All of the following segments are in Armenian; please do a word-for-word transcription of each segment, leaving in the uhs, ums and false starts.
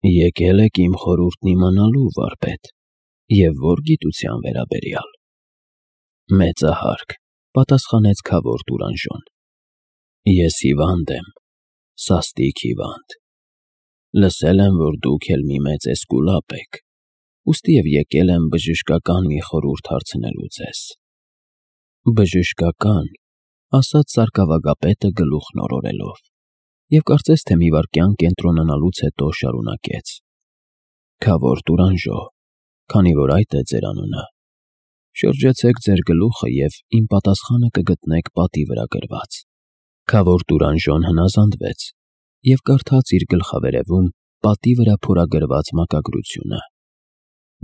Եկել եք իմ խորհուրդն իմանալու, վարպետ, և որ գիտության վերաբերյալ։ Մեծահարկ, պատասխանեց քավոր Տուրանժոն։ Ես հիվանդ եմ, սաստիկ հիվանդ։ Լսել եմ, որ դուք էլ մի մեծ էսկուլապ եք, ուստիև եկել եմ բժշկական մի խորհուրդ հարցնելու ձեզ։ Բժշկական, ասաց սարկավագապետը գլուխն օրորելով, և կարծես թե մի վայրկյան կենտրոնանալուց հետո շարունակեց. Քավոր Տուրանժո, քանի որ այդ է ձեր անունը, շրջեցեք ձեր գլուխը և իմ պատասխանը կգտնեք պատի վրա գրված։ Քավոր Տուրանժոն հնազանդվեց և կարդաց իր գլխավերևում պատի վրա փորագրված մակագրությունը.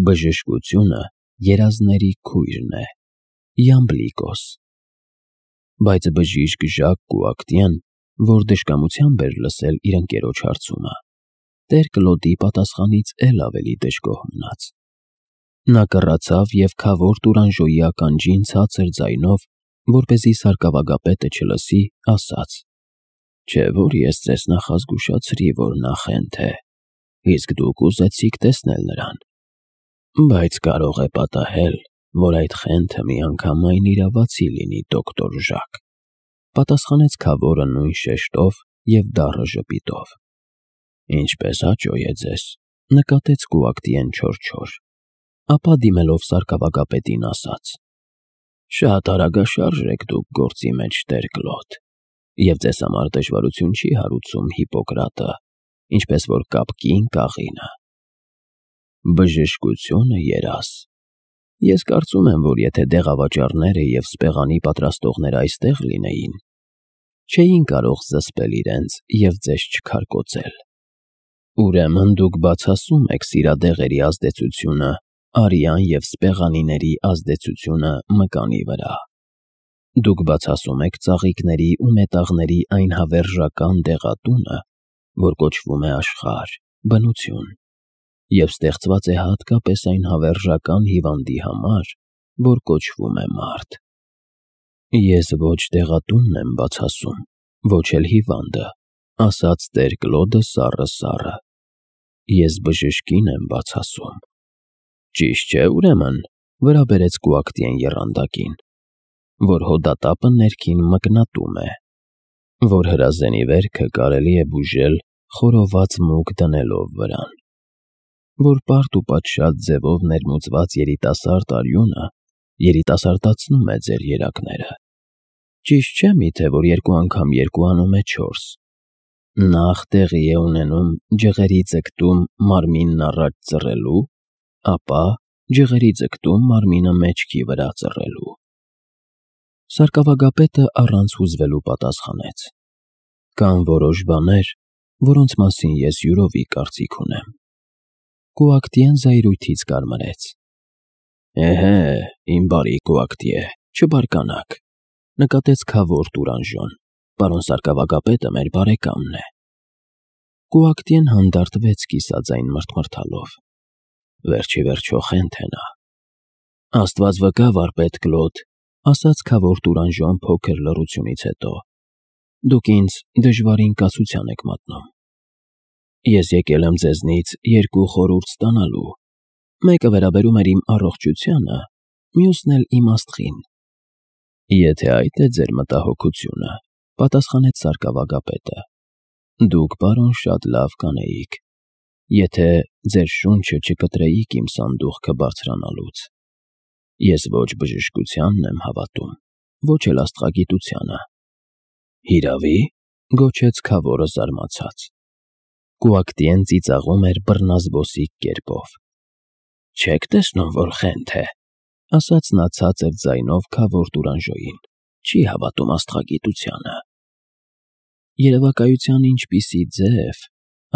Բժշկությունը երազների քույրն է, Յամբլիկոս։ Բայց բժիշկ Ժակ Կուակտիեն, որ դժկամությամբ էր լսել իր ընկերոջ հարցումը, տեր Կլոդի պատասխանից էլ ավելի դժգոհ մնաց։ Նա կռացավ և քավոր Տուրանժոյի ականջին ցածր ձայնով, որպեսզի սարկավագապետը չլսի, ասաց. Չէ՞ որ ես ձեզ նախազգուշացրի, որ նա խենթ է, իսկ դուք ուզեցիք տեսնել նրան։ Բայց կարող է պատահել, որ այդ խենթը միանգամայն իրավացի լինի, դոկտոր Ժակ, պատասխանեց քավորը նույն շեշտով և դառը ժպիտով։ Ինչպես հաճո է ձեզ, նկատեց Կուակտիեն չոր-չոր, ապա դիմելով սարկավագապետին ասաց. Շատ արագաշարժ եք դուք գործի մեջ, տեր Կլոդ, և ձեզ համար դժվարություն չի հարուցում Հիպոկրատը, ինչպես որ կապկին կաղինը։ Բժշկությունը երազ։ Ես կարծում եմ, որ եթե դեղավաճառները և սպեղանի պատրաստողները այստեղ լինեին, չէին կարող զսպել իրենց և ձեզ չքարկոծել։ Ուրեմն դուք բացասում եք սիրադեղերի ազդեցությունը արյան և սպեղանիների ազդեցությունը մկանի վրա։ Դուք բացասում եք ծաղիկների ու մետաղների այն հավերժական դեղատունը, որ կոչվում է աշխարհ, բնություն, և ստեղծված է հատկապես այն հավերժական հիվանդի համար, որ կոչվում է մարդ։ Ես ոչ դեղատունն եմ բացասում, ոչ էլ հիվանդը, ասաց տեր Կլոդը սառը-սառը։ Ես բժշկին եմ բացասում։ Ճիշտ չէ, ուրեմն, վրա բերեց Կուակտիեն եռանդակին, որ հոդատապը ներքին մկնատում է, որ հրազենի վերքը կարելի է բուժել խորոված մուկ դնելով վրան, որ պարտ ու պատշաճ ձևով ներմուծված երիտասարդ արյունը երիտասարդացնում է ձեր երակները։ Ճիշտ չէ՞ միթե, որ երկու անգամ երկու անում է չորս։ Նախ տեղի է ունենում ջղերի ձգտում մարմինն առաջ ծռելու, ապա ջղերի ձգտում մարմինը մեջքի վրա ծռելու։ Սարկավագապետը առանց հուզվելու պատասխանեց. Կան որոշ բաներ, որոնց մասին ես յուրովի կարծիք ունեմ։ Կուակտիեն զայրույթից կարմրեց։ Էհե, իմ բարի Կուակտիե, չբարկանաք, նկատեց քավոր Տուրանժոն, պարոն սարկավագապետը մեր բարեկամն է։ Կուակտիեն հանդարտվեց կիսաձայն մռթմռթալով։ Վերջիվերջո խենթ է նա։ Աստված վկա, վարպետ Կլոդ, ասաց քավոր Տուրանժոն փոքր լռությունից հետո, դուք ինձ դժվարին կացության եք մատնում։ Ես եկել եմ ձեզնից երկու խորհուրդ ստանալու, մեկը վերաբերում էր իմ առողջությանը, մյուսն էլ իմ աստղին։ Եթե այդ է ձեր մտահոգությունը, պատասխանեց սարկավագապետը, դուք, պարոն, շատ լավ կանեիք, եթե ձեր շունչը չկտրեիք իմ սանդուղքը բարձրանալուց։ Ես ոչ բժշկությանն եմ հավատում, ոչ էլ աստղագիտությանը։ Հիրավի, գոչեց քավորը զարմացած։ Կուակտիեն ծիծաղում էր բռնազբոսիկ կերպով։ Չեք տեսնում, որ խենթ է, ասաց նա ցածր ձայնով քավոր Տուրանժոյին, չի հավատում աստղագիտությանը։ Երևակայության ինչպիսի ձև,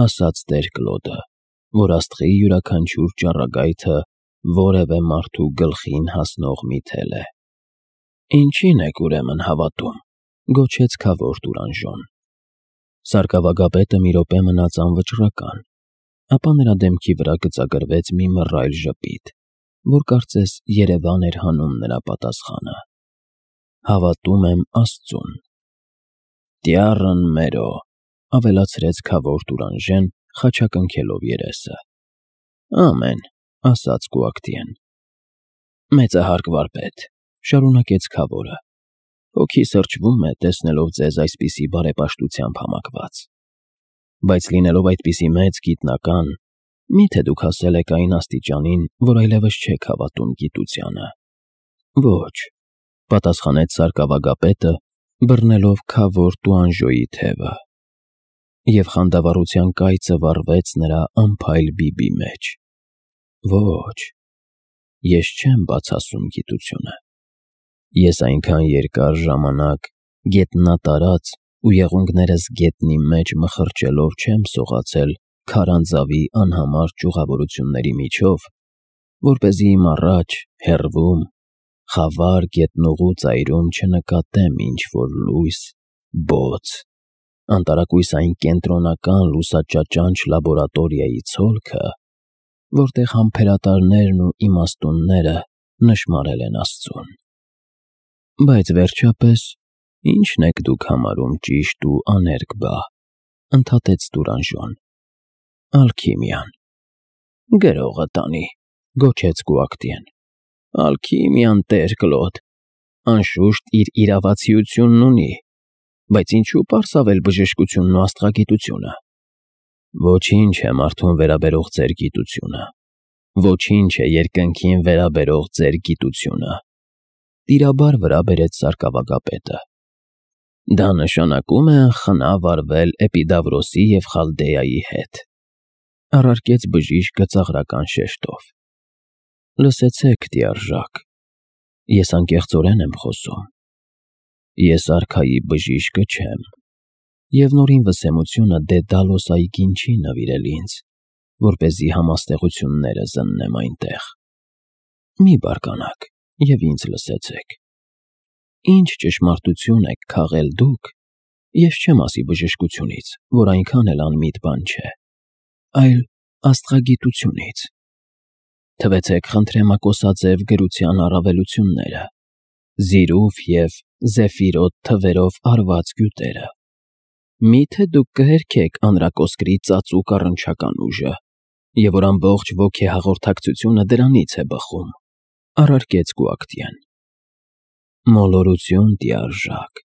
ասաց տեր Կլոդը, որ աստղի յուրաքանչյուր ճառագայթը որևէ մարդու գլխին հասնող մի թել է։ Ինչին եք ուրեմն հավատում, գոչեց քավոր Տուրանժոն։ Սարկավագապետը մի րոպե մնաց անվճռական, ապա նրա դեմքի վրա գծագրվեց մի մռայլ ժպիտ, որ կարծես երևան էր հանում նրա պատասխանը։ Հավատում եմ Աստծուն։ Տյառն մերո, ավելացրեց քավոր Տուրանժեն խաչակնքելով երեսը։ Ամեն, ասաց Կուակտիեն։ Մեծահարկ վարպետ, շարունակեց Քավորը, հոգի սրճվում է, տեսնելով ձեզ այսպիսի բարեպաշտությամբ համակված։ Բայց լինելով այդպիսի մեծ գիտնական, միթե դուք հասել եք այն աստիճանին, որ այլևս չեք հավատում գիտությանը։ Ոչ, պատասխանեց սարկավագապետը, բռնելով Քավոր Տուանժոյի թևը, և խանդավառության կայծը վառվեց նրա անփայլ բիբի մեջ։ Ոչ, ես չեմ բացասում գիտությունը։ Ես այնքան երկար ժամանակ գետնատարած ու եղունգներս գետնի մեջ մխրճելով չեմ սողացել քարանձավի անհամար ճյուղավորությունների միջով, որպեսզի իմ առաջ, հեռվում, խավար գետնուղու ծայրում չնկատեմ ինչ-որ լույս, բոց, անտարակույսային կենտրոնական լուսաճաճանչ լաբորատորիայի ցոլքը, որտեղ համբերատարներն ու իմաստունները նշմարել են Աստծուն։ Բայց վերջապես, ի՞նչն եք դուք համարում ճիշտ ու աներկ բա, ընդհատեց Տուրանժոն։ Ալքիմիան։ Գրողը տանի, գոչեց Կուակտիեն։ Ալքիմիան, տեր Կլոդ, անշուշտ իր իրավացիությունն ունի, բայց ինչու պարսավել բժշկությունն ու աստղագիտությունը։ Ոչինչ է մարդուն վերաբերող ձեր գիտությունը, ոչինչ է երկնքին վերաբերող ձեր գիտությունը, տիրաբար վրա բերեց սարկավագապետը։ Դա նշանակում է անխնա վարվել Էպիդավրոսի և Խալդեայի հետ, առարկեց բժիշկը ծաղրական շեշտով։ Լսեցեք, տիարժակ, ես անկեղծորեն եմ խոսում։ Ես արքայի բժիշկը չեմ, և նորին վսեմությունը Դեդալոս այգին չի նվիրել ինձ, որպեսզի համաստեղությունները զննեմ այնտեղ։ Մի բարկանաք և ինձ լսեցեք։ Ինչ ճշմարտություն եք քաղել դուք, ես չեմ ասի բժշկությունից, որ այնքան էլ անմիտ բան չէ, այլ աստղագիտությունից։ Թվեցեք խնդրեմակոսաձև գրության առավելությունները, զիրուֆ և զեֆիրոտ թվերով արված գյուտերը։ Միթե դուք կհերքեք անրակոսկրի ծածուկ առնչական ուժը, և որ ամբողջ ոգեհաղորդակցությունը դրանից է բխում, առարկեց Կուակտիեն։ Մոլորություն, տիարժակ,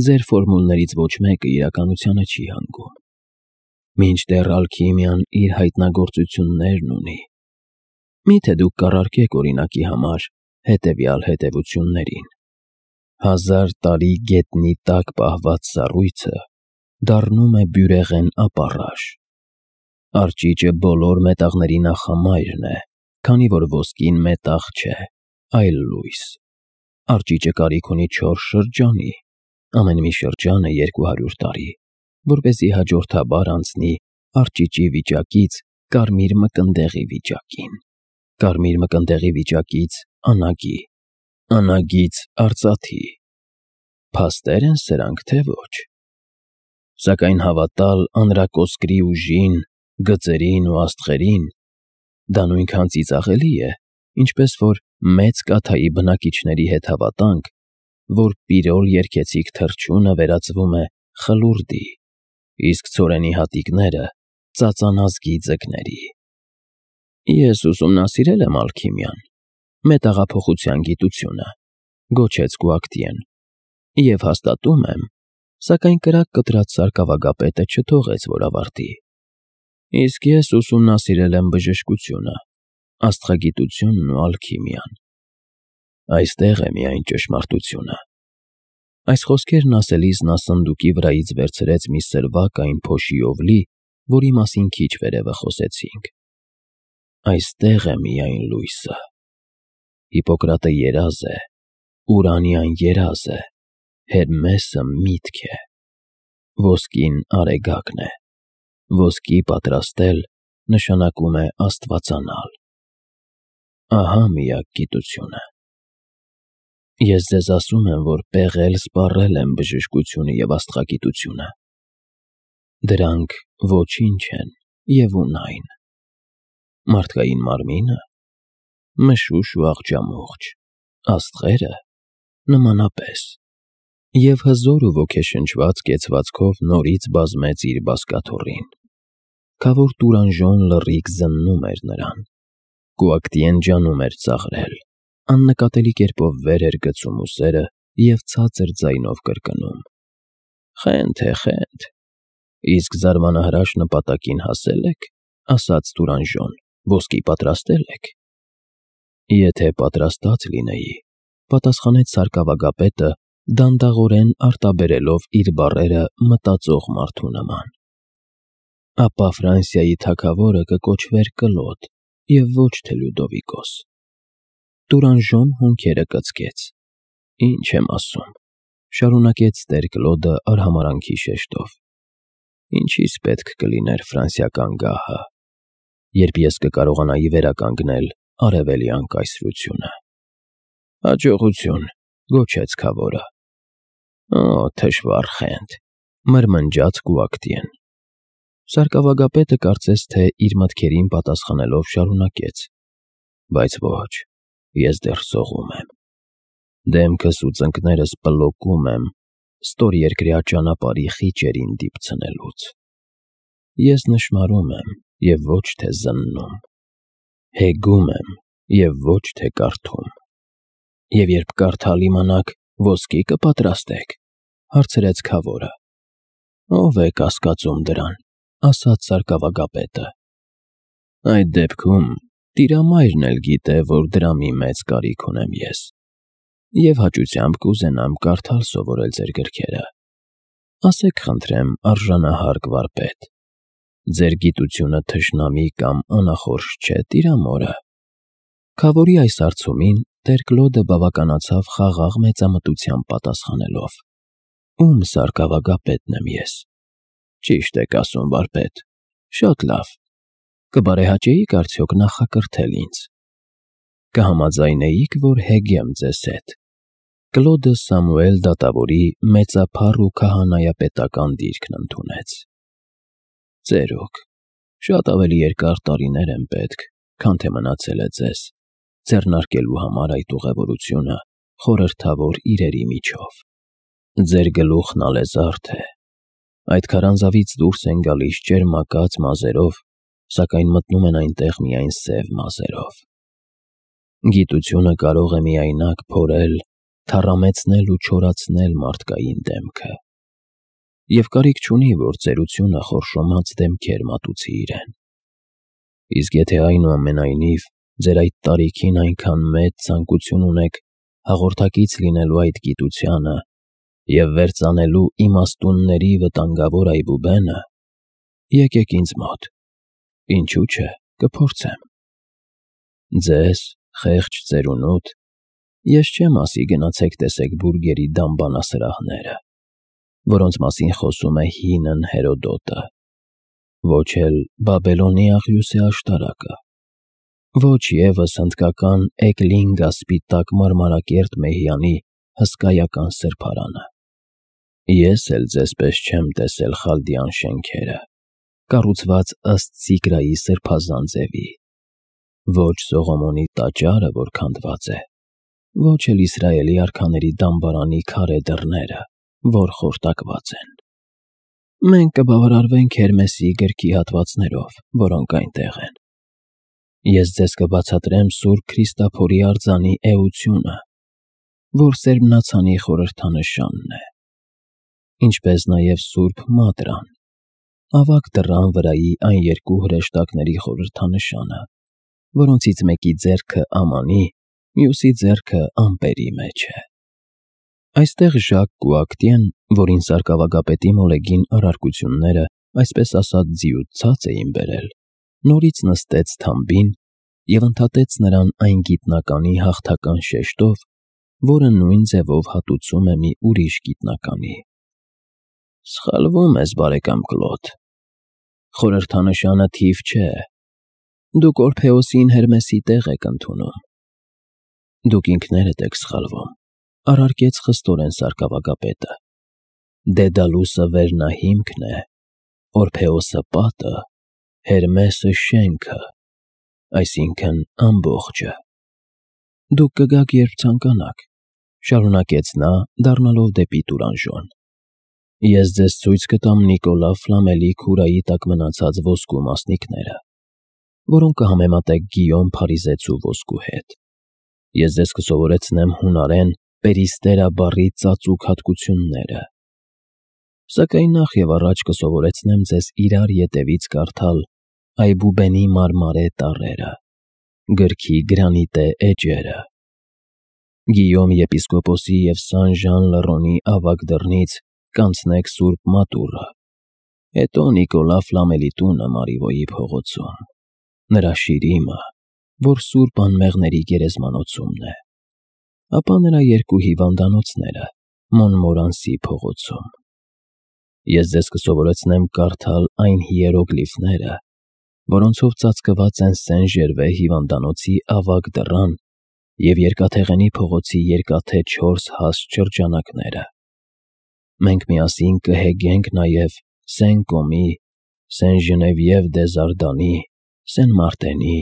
ձեր ֆորմուլներից ոչ մեկը իրականությանը չի հանգում։ Մինչդեռ ալքիմիան իր հայտնագործություններն ունի։ Միթե դուք կառարկեք օրինակի համար հետևյալ հետևություններին. հազար տարի գետնի տակ պահված սառույցը դառնում է բյուրեղեն ապառաշ։ Արճիճը բոլոր մետաղների նախամայրն է, քանի որ ոսկին մետաղ չէ, այլ լույս։ Արճիճը կարիք ունի չորս շրջանի, ամեն մի շրջանը երկու հարյուր տարի, որպեսզի հաջորդաբար անցնի արճիճի վիճակից կարմիր մկնդեղի վիճակին, կարմիր մկնդեղի վիճակից անագի, անագից արծաթի։ Փաստեր են սրանք, թե ոչ։ Սակայն հավատալ անրակոսկրի ուժին, գծերին ու աստղերին, դա նույնքան ծիծաղելի է, ինչպես որ մեծ կաթայի բնակիչների հետ հավատանք, որ պիրոլ երգեցիկ թռչունը վերածվում է խլուրդի, իսկ ցորենի հատիկները ծածանազգի ձկների։ Ես ուսումնասիրել եմ ալքիմիան, մետաղափոխության գիտությունը, գոչեց Կուակտիեն, և հաստատում եմ, սակայն կրակ կտրած սարկավագապետը չթողեց, որ ավարտի։ Իսկ ես ուսումնասիրել եմ բժշկությունը, աստղագիտությունն ու ալքիմիան։ Այստեղ է միայն ճշմարտությունը։ Այս խոսքերն ասելիս նա սնդուկի վրայից վերցրեց մի սրվակ այն փոշիով լի, որի մասին քիչ վերևը խոսեցինք։ Այստեղ է միայն լույսը։ Հիպոկրատը երազ է, Ուրանիան երազ է, Հերմեսը միտք է, ոսկին արեգակն է, ոսկի պատրաստել նշանակում է աստվածանալ։ Ահա միակ գիտությունը։ Ես ձեզ ասում եմ, որ պեղել-սպառել եմ բժշկությունը և աստղագիտությունը։ Դրանք ոչինչ են և ունայն։ Մարդկային մարմինը մշուշ ու աղջամուղջ, աստղերը նմանապես, և հզոր ու ոգեշնչված կեցվածքով նորից բազմեց իր բազկաթոռին։ Քավոր Տուրանժոն լռիկ զննում էր նրան։ Կուակտիեն ջանում էր ծաղրել, աննկատելի կերպով վեր էր գցում ուսերը և ցածր ձայնով կրկնում. «Խենթ է, խենթ»։ «Իսկ զարմանահրաշ նպատակին հասել եք», ասաց Տուրանժոն, «ոսկի պատրաստել եք»։ «Եթե պատրաստած լինեի», պատասխանեց սարկավագապետը, դանդաղորեն արտաբերելով իր բառերը մտածող մարդու նման։ «Ապա Ֆրանսիայի թագավորը կկոչվեր Կլոդ և ոչ թե Լյուդովիկոս»։ Տուրանժոն հոնքերը կծկեց։ «Ինչ եմ ասում», շարունակեց տեր Կլոդը արհամարհանքի շեշտով։ «Ինչիս պետք կլիներ ֆրանսիական գահը, երբ ես կկարողանայի վերականգնել արևելյան կայսրությունը»։ «Հաջողություն», գոչեց քավորը։ «Օ, թշվառ խենթ», մրմնջաց Կուակտիեն։ Սարկավագապետը կարծես թե իր մտքերին պատասխանելով շարունակեց. «Բայց ոչ, ես դեռ սողում եմ։ Դեմքս ու ծնկներս պլոկում եմ ստորերկրյա ճանապարհի խիճերին դիպցնելուց։ Ես նշմարում եմ և ոչ թե զննում, հեգում եմ և ոչ թե կարդում»։ «Եվ երբ կարդալ իմանաք, ոսկի կպատրաստեք», հարցրեց քավորը։ «Ո՞վ է կասկածում դրան», ասաց սարկավագապետը։ «Այդ դեպքում Տիրամայրն էլ գիտե, որ դրա մի մեծ կարիք ունեմ ես, և հաճությամբ կուզենամ կարդալ սովորել ձեր գրքերը։ Ասեք խնդրեմ, արժանահարգ վարպետ, ձեր գիտությունը թշնամի կամ անախորժ չէ Տիրամորը»։ Քավորի այս հարցումին տեր Կլոդը բավականացավ խաղաղ մեծամտությամբ պատասխանելով. «Ում սարկավագապետն եմ ես»։ «Ճիշտ եք ասում, վարպետ, շատ լավ։ Կբարեհաճեի՞ք արդյոք նախակրթել ինձ։ Կհամաձայնեի՞ք, որ հեգեմ ձեզ հետ»։ Կլոդը Սամուել դատավորի մեծափառ ու քահանայապետական դիրքն ընդունեց։ «Ծերուկ, շատ ավելի երկար տարիներ են պետք, քան թե մնացել է ձեզ, ձեռնարկելու համար այդ ուղևորությունը խորհրդավոր իրերի միջով։ Ձեր գլուխն ալեզարդ է, այդ քարանձավից դուրս են գալիս ճերմակած մազերով, սակայն մտնում են այնտեղ միայն սև մազերով։ Գիտությունը կարող է միայնակ փորել, թառամեցնել ու չորացնել մարդկային դեմքը, և կարիք չունի, որ ծերությունը խորշոմած դեմքեր մատուցի իրեն։ Իսկ եթե այնուամենայնիվ ձեր այդ տարիքին այնքան մեծ ցանկություն ունեք հաղորդակից լինելու այդ գիտությանը և վերծանելու իմաստունների վտանգավոր այբուբենը, եկեք ինձ մոտ, ինչու՞ չէ, կփորձեմ։ Ձեզ, խեղճ ծերունուտ, ես չեմ ասի գնացեք տեսեք բուրգերի դամբանասրահները, որոնց մասին խոսում է հինն Հերոդոտը, ոչ էլ Բաբելոնի աղյուսե աշտարակը, ոչ ևս հնդկական Էկլինգա սպիտակ մարմարակերտ մեհյանի հսկայական սրբարանը։ Ես էլ ձեզպես չեմ տեսել Խալդիան շենքերը, կառուցված ըստ Սիգրայի սրբազան ձևի, ոչ Սողոմոնի տաճարը, որ քանդված է, ոչ էլ Իսրայելի արքաների դամբարանի քարե դռները, որ խորտակված են։ Մենք կբավարարվենք Հերմեսի գրքի հատվածներով, որոնք այնտեղ են։ Ես ձեզ կբացատրեմ Սուրբ Քրիստափորի արձանի էությունը, որ սերմնացանի խորհրդանշանն է, ինչպես նաև Սուրբ Մադրան, ավագ դռան վրայի այն երկու հրեշտակների խորհրդանշանը, որոնցից մեկի ձեռքը Ամանի, մյուսի ձեռքը ամպերի մեջ է։ Այստեղ Ժակ Կուակտիեն, որին սարկավագապետի մոլեգին առարկությունները, այսպես ասած, ձիուց էին բերել, նորից նստեց թամբին և ընդհատեց նրան այն գիտնականի հաղթական շեշտով, որը նույն ձևով հատուցում է մի ուրիշ գիտնականի։ Սխալվում ես, բարեկամ Կլոդ, խորհրդանշանը թիվ չէ, դուք Օրփեոսին Հերմեսի տեղ եք ընդունում։ Դուք ինքներդ եք սխալվում, առարկեց խստորեն սարկավագապետը։ Դեդալուսը վերնահիմքն է, Օրփեոսը պատը, Հերմեսը շենքը, այսինքն ամբողջը։ Դուք կգաք, երբ ցանկանաք, շարունակեց նա, դառնալով դեպի Տուրանժոն։ Ես ձեզ ցույց կտամ Նիկոլա Ֆլամելի քուրայի տակ մնացած ոսկու մասնիկները, որոնք կհամեմատեք Գիյոմ Փարիզեցու ոսկու հետ։ Ես ձեզ կսովորեցնեմ հունարեն պերիստերա բառի ծածուկ հատկությունները։ Սակայն նախ եւ առաջ կսովորեցնեմ ձեզ իրար ետևից կարդալ Այբուբենի մարմարե տառերը, գրքի գրանիտե էջերը։ Գիյոմ եպիսկոպոսի և Սան Ժան Լռոնի ավագ դռնից կանցնեք Սուրբ Մատուռը, հետո Նիկոլա Ֆլամելի տունը Մարիվոյի փողոցում, նրա շիրիմը, որ Սուրբ Անմեղների գերեզմանոցումն է, ապա նրա երկու հիվանդանոցները Մոնմորանսի փողոցում։ Ես ձեզ կսովորեցնեմ կարդալ այն հիերոգլիֆները, որոնցով ծածկված են Սեն Ժերվե հիվանդանոցի ավագ դռան և Երկաթեղենի փողոցի երկաթե չորս հաստ շրջանակները։ Մենք միասին կհեգենք նաև Սեն Կոմի, Սեն Ժնևիև դե Զարդանի, Սեն Մարտենի,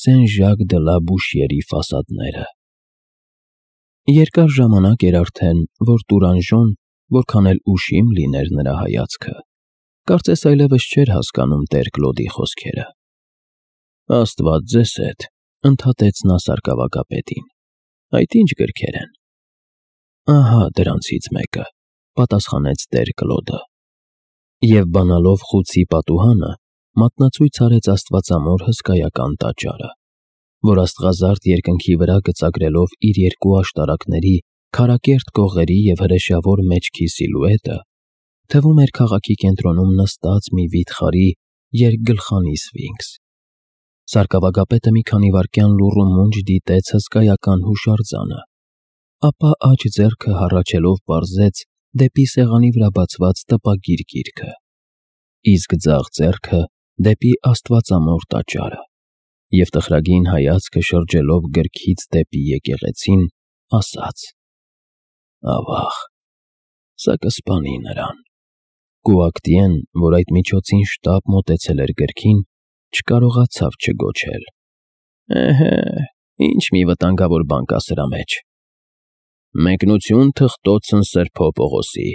Սեն Ժակ դը լա Բուշիերի ֆասադները։ Երկար ժամանակ էր արդեն, որ Տուրանժոն, որքան էլ ուշիմ լիներ նրա հայացքը, կարծես այլևս չէր հասկանում տեր Կլոդի խոսքերը։ Աստված ձեզ հետ, ընդհատեց նա սարկավագապետին, այդ ինչ գրքեր են։ Ահա դրանցից մեկը, պատասխանեց տեր Կլոդը։ Եվ բանալով խուցի պատուհանը, մատնացույց արեց աստվածամոր հսկայական տաճարը, որ աստղազարդ երկնքի վրա գծագրելով իր երկու աշտարակների, քարակերտ կողերի և հրեշավոր մեջքի սիլուետը, թվում էր քաղաքի կենտրոնում նստած մի վիթխարի երկգլխանի սֆինքս։ Սարկավագապետը մի քանի վայրկյան լուռ ու մունջ դիտեց հսկայական հուշարձանը, ապա աջ ձեռքը հառաչելով պարզեց դեպի սեղանի վրա բացված տպագիր գիրքը, իսկ ձախ ձեռքը դեպի աստվածամոր տաճարը, և տխրագին հայացքը շրջելով գրքից դեպի եկեղեցին, ասաց. Ավաղ, սա կսպանի նրան։ Կուակտիեն, որ այդ միջոցին շտապ մոտեցել էր գրքին, չկարողացավ չգոչել. Էհե, ինչ մի վտանգավոր բան կա սրա մեջ։ Մեկնություն թղթոցն Սրբո Պողոսի,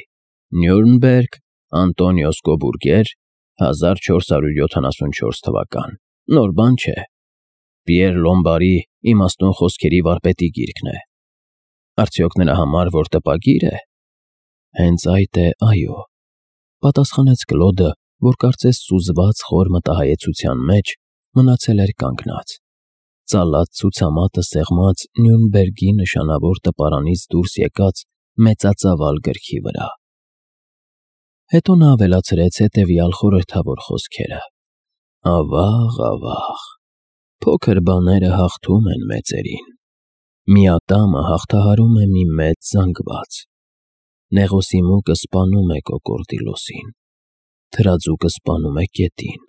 Նյուրնբերգ, Անտոնիոս Կոբուրգեր, հազար չորս հարյուր յոթանասունչորս թվական, նոր բան չէ։ Պիեր Լոմբարի իմաստուն խոսքերի վարպետի գիրքն է։ Արդյոք նրա համար որ տպագիր է։ Հենց այդ է, այո, պատասխանեց Կլոդը, որ կարծես սուզված խոր մտահայեցության մեջ մնացել էր կանգնած, ծալած ցուցամատը սեղմած Նյուրնբերգի նշանավոր տպարանից դուրս եկած մեծածավալ գրքի վրա։ Հետո նա ավելացրեց հետևյալ խորհրդավոր խոսքերը. Ավաղ, ավաղ, փոքր բաները հաղթում են մեծերին։ Մի ատամը հաղթահարում է մի մեծ զանգված։ Նեղոսիմուկը սպանում է կոկորդիլոսին, թրածուկը սպանում է կետին,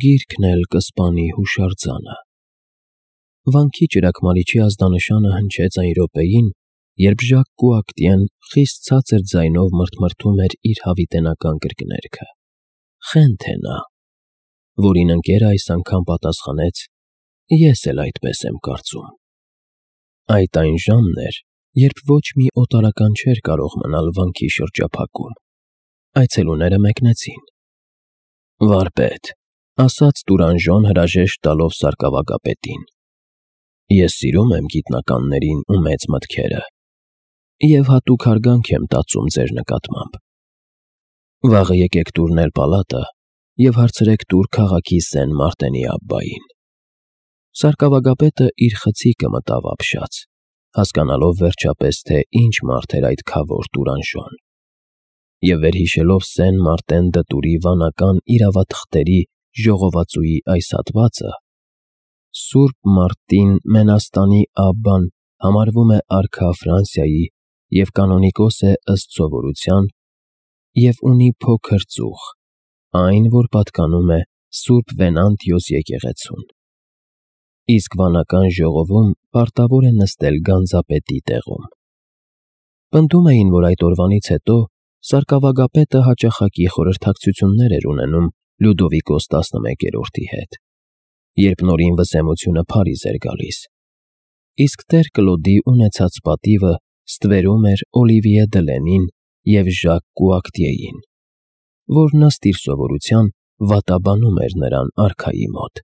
գիրքն էլ կսպանի հուշարձանը։ Վանքի ճրագմալիչի ազդանշանը հնչեց այն րոպեին, երբ Ժակ Կուակտիեն խիստ ցածր ձայնով մրթմրթում էր իր հավիտենական կրկներգը. Խենթ է նա, որին ընկերը այս անգամ պատասխանեց. Ես էլ այդպես եմ կարծում։ Այդ այն ժամն էր, երբ ոչ մի օտարական չէր կարող մնալ վանքի շրջափակում։ Այցելուները մեկնեցին։ Վարպետ, ասաց Տուրանժոն հրաժեշտ տալով սարկավագապետին, ես սիրում եմ գիտնականներին ու մեծ մտքերը, և հատուկ հարգանք եմ տածում ձեր նկատմամբ։ Վաղը եկեք տուրնել պալատը և հարցրեք տուր քաղաքի Սեն Մարտենի աբբային։ Սարկավագապետը իր խցիկը մտավ ապշած, հասկանալով վերջապես, թե ինչ մարդ էր այդ քավոր Տուրանժոն, և վերհիշելով Սեն Մարտեն դտուրի վանական իրավաթղթերի ժողովածուի այս հատվածը, Սուրբ Մարտին Մենաստանի աբբան համարվում է արքա Ֆրանսիայի և կանոնիկոս է ըստ սովորության և ունի փոքր ծուխ, այն, որ պատկանում է Սուրբ Վենանտիոս եկեղեցուն, իսկ վանական ժողովում պարտավոր է նստել գանձապետի տեղում։ Պնդում էին, որ այդ օրվանից հետո սարկավագապետը հաճախակի խորհրդակցություններ էր ունենում Լյուդովիկոս տասնմեկերորդի հետ, երբ նորին վսեմությունը Փարիզ էր գալիս, իսկ տեր Կլոդի ունեցած պատիվը ստվերում էր Օլիվիե Դլենին և Ժակ Կուակտիեին, որն ըստ իր սովորության վատաբանում էր նրան արքայի մոտ։